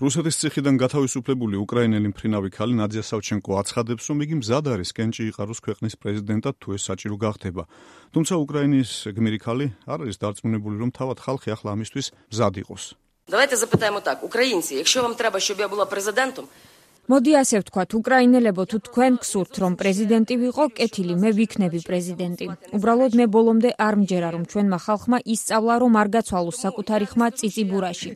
რუსეთის ციხიდან გათავისუფლებული უკრაინელი მფრინავი ქალი ნადია სავჩენკო აცხადებს, რომ იგი მზად არის კენჭი იყაროს ქვეყნის პრეზიდენტად, თუ ეს საჭირო გახდება. თუმცა უკრაინის გმირი ქალი არ არის დარწმუნებული, რომ თავად ხალხი ახლა ამისთვის მზად იყოს. Давайте запитаємо так, українці, якщо вам треба, щоб я була президентом, მოდი ასე ვთქვათ, უკრაინელებო, თუ თქვენ გსურთ, რომ პრეზიდენტი ვიყო, კეთილი, მე ვიქნები პრეზიდენტი. უბრალოდ მე ბოლომდე არ მჯერა, რომ ჩვენმა ხალხმა ისწავლა, რომ არ გაცვალოს საკუთარი ხმა წიწიბურაში.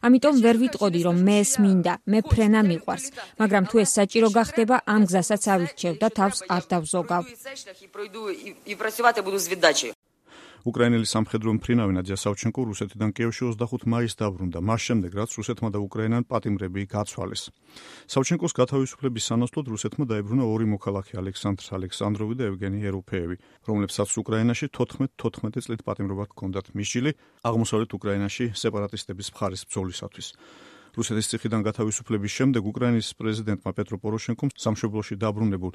ამიტომ ვერ ვიტყოდი, რომ მე ეს მინდა, მე ფრენა მიყვარს. მაგრამ თუ ეს საჭირო გახდება, ამ გზასაც ავირჩევ და თავს არ დავზოგავ. უკრაინელი სამხედრო მფრინავი ნადია სავჩენკო რუსეთიდან კიევში 25 მაისს დაბრუნდა, მას შემდეგ რაც რუსეთმა და უკრაინამ პატიმრები გაცვალეს. სავჩენკოს გათავისუფლების სანაცვლოდ რუსეთმა დაებრუნა ორი მოქალაქე ალექსანდრ ალექსანდროვი და ევგენი ეროფეევი, რომლებსაც უკრაინაში 14 წლით პატიმრობა ჰქონდათ მისჯილი აღმოსავლეთ უკრაინაში სეპარატისტების მხარის ბრძოლისათვის. რუსეთის ციხიდან გათავისუფლების შემდეგ უკრაინის პრეზიდენტმა პეტრო პოროშენკომ სამშობლოში დაბრუნებულ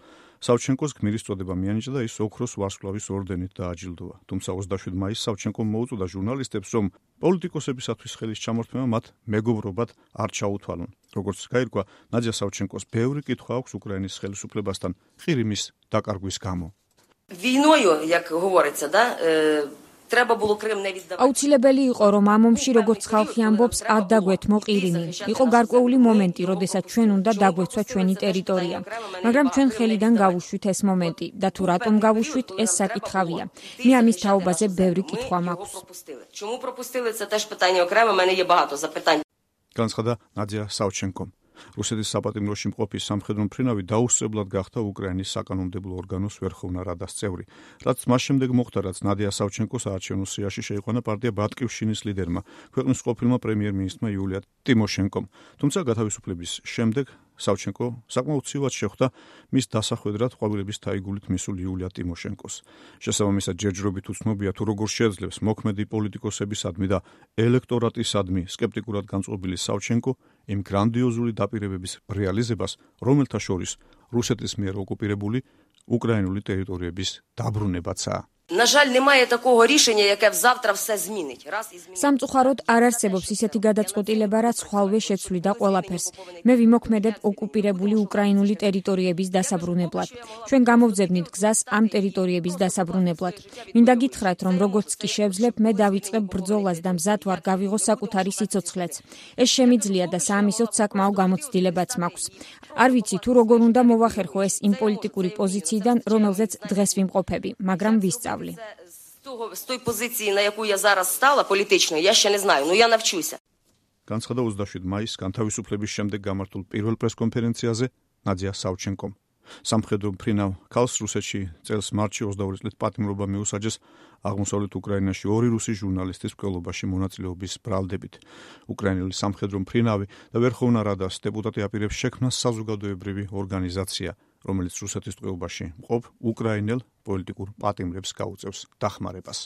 სავჩენკოს გმირის წოდება მიანიჭა და ის ოქროს ვარსკვლავის ორდენით დააჯილდოვა. თუმცა 27 მაისს სავჩენკომ მოუწოდა ჟურნალისტებს, რომ პოლიტიკოსებისათვის ხელის ჩამორთმევა მათ მეგობრობად არ ჩაუთვალონ. როგორც გაირკვა, ნადია სავჩენკოს ბევრი კითხვა აქვს უკრაინის ხელისუფლებასთან ყირიმის დაკარგვის გამო. Війною, як говориться, да, треба було Крим не віддавати. აუცილებელი იყო, რომ ამ ომში, როგორც ხალხი ამბობს, არ დაგვეთმო ყირიმი. იყო გარკვეული მომენტი, როდესაც ჩვენ უნდა დაგვეცვა ჩვენი ტერიტორია. მაგრამ ჩვენ ხელიდან გავუშვით ეს მომენტი და თუ რატომ გავუშვით, ეს საკითხავია. მე ამის თაობაზე ბევრი კითხვა მაქვს. Чому пропустили? Це теж питання окремо, в мене є багато запитань. განცხადა ნადია სავჩენკომ. რუსეთის საპატიმროში მყოფი სამხედრო მფრინავი დაუსწრებლად გახდა უკრაინის საკანონმდებლო ორგანოს ვერხოვნა რადას წევრი. რაც მას შემდეგ მოხდა, რაც ნადია სავჩენკოს საარჩევნო სიაში შეიყვანა პარტია ბატკივშინის ლიდერმა, ქვეყნის ყოფილმა პრემიერ-მინისტრმა იულია ტიმოშენკომ. თუმცა გათავისუფლების შემდეგ სავჩენკო საკმაოდ ცივად შეხვდა მის დასახვედრად ყვავილების თაიგულით მისულ იულია ტიმოშენკოს. შესაბამისად ჯერჯერობით უცნობია, თუ როგორ შეძლებს მოქმედი პოლიტიკოსებისადმი და ელექტორატისადმი სკეპტიკურად განწყობილი სავჩენკო იმ გრანდიოზული დაპირებების რეალიზებას, რომელთა შორის რუსეთის მიერ ოკუპირებული უკრაინული ტერიტორიების დაბრუნებაცაა. На жаль, немає такого рішення, яке завтра все змінить. Раз і змінить. სამწუხაროდ არ არსებობს ისეთი გადაწყვეტილება, რაც ხვალვე შეცვლიდა ყველაფერს. მე ვიმოქმედებ ოკუპირებული უკრაინული ტერიტორიების დასაბრუნებლად. ჩვენ გამოვძებნით გზას ამ ტერიტორიების დასაბრუნებლად. მინდა გითხრათ, რომ როგორც კი შევძლებ, მე დავიწყებ ბრძოლას და მზად ვარ გავიღო საკუთარი სიცოცხლეც. ეს შემიძლია და საამისოდ საკმაო გამოცდილებაც მაქვს. არ ვიცი თუ როგორ უნდა მოვახერხო ეს იმ პოლიტიკური პოზიციიდან, რომელზეც დღეს ვიმყოფები, მაგრამ ვისწავლ. З той позиції, на яку я зараз стала політичною, я ще не знаю, ну я навчуся. განცხადა 27 მაისს განთავისუფლების შემდეგ გამართულ პირველ პრესკონფერენციაზე ნადია სავჩენკომ. სამხედრო მფრინავ ქალს რუსეთში წელს მარტში 22 წლით პატიმრობა მიუსაჯეს აღმოსავლეთ უკრაინაში ორი რუსი ჟურნალისტის მკვლელობაში მონაწილეობის ბრალდებით. უკრაინელი სამხედრო მფრინავი და ვერხოვნა რადას დეპუტატი აპირებს შექმნას საზოგადოებრივი ორგანიზაცია, რომელიც რუსეთის ტყვეობაში მყოფ უკრაინელ პოლიტიკურ პატიმრებს გაუწევს დახმარებას.